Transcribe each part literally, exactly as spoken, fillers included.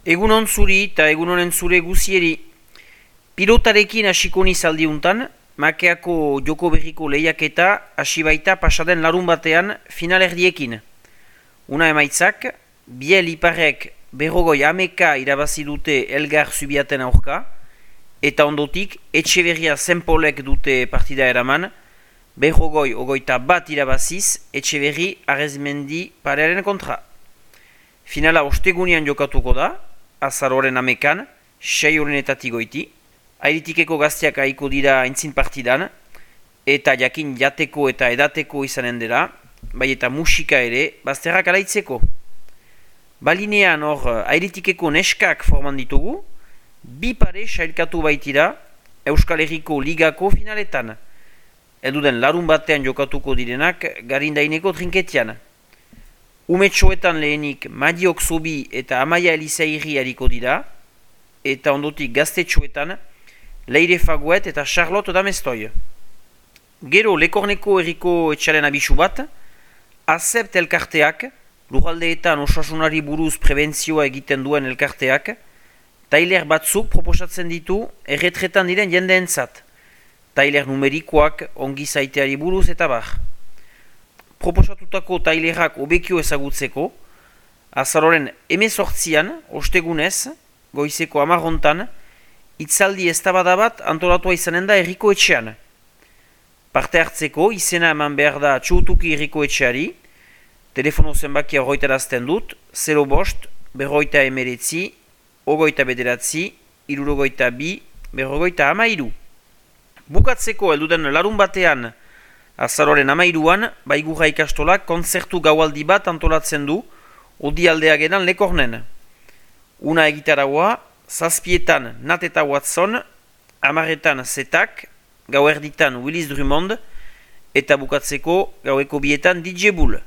Egunon zuri eta egunonen zure guzieri. Pilotarekin hasiko niz aldiuntan, Makeako joko berriko lehiaketa hasi baita pasaden larun batean finalerdiekin. Una emaitzak, Biel Iparrek berrogoi ameka irabazi dute Elgar Zubiaten aurka, eta ondotik Etxeberria Zenpolek dute partida eraman, berrogoi ogoita bat irabaziz Etxeberri Arezmendi parearen kontra. Finala ostegunean jokatuko da, azaroren amekan, sei horrenetatik goiti, airitikeko gazteak haiko dira aintzin partidan, eta jakin jateko eta edateko izanen dela, bai eta musika ere, bazterrak alaitzeko. Balinean hor airitikeko neskak forman ditugu, bi pare sailkatu baitira Euskal Herriko Ligako finaletan. Elduden larun batean jokatuko direnak garindaineko trinketian. Umetxoetan lehenik Madiok Zobi eta Amaia Elizairi hariko dira, eta ondotik gaztetxoetan Leire Faguet eta Charlotte Damestoi. Gero Lekorneko herriko etxaren abisu bat, Azept elkarteak, lurraldeetan osasunari buruz prebentzioa egiten duen elkarteak, tailer batzuk proposatzen ditu erretretan diren jendeentzat, tailer numerikoak ongi zaiteari buruz eta bar. Proposatutako tailerak obekio ezagutzeko, azaroren emezortzian, ostegunez, goizeko amarrontan, itzaldi eztabada bat antolatua izanen da herriko etxean. Parte hartzeko izena eman behar da txutuki herriko etxeari, telefono zenbakia horretarazten dut, zero bost, berroita emeretzi, ogoita bederatzi, irurogoita bi, berrogoita amairu. Bukatzeko elduden larun batean, azaroren amairuan, Baigurra ikastolak kontzertu gaualdi bat antolatzen du, odialdea gedan Lekornen. Una egitaragoa, zazpietan Nat eta Watson, amaretan Zetak, gauerditan Willis Drummond, eta bukatzeko gaueko bietan D J Bull.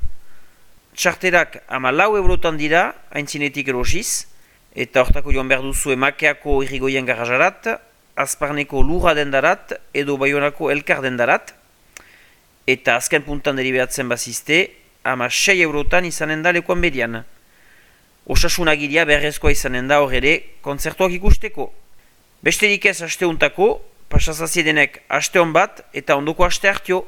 Txarterak ama lau eurotan dira, haintzinetik erosiz, eta hortako joan behar duzu Makeako irrigoien garajarat, Azparneko Lurra dendarat, edo Baionako Elkar dendarat, eta azken puntan deliberatzen bazizte, ama sei eurotan izanen da lekuan bedian. Osasunagiria beharrezkoa izanen da hor ere kontzertuak ikusteko. Besterik ez asteuntako, pasazaziedenek aste hon bat eta ondoko aste hartio.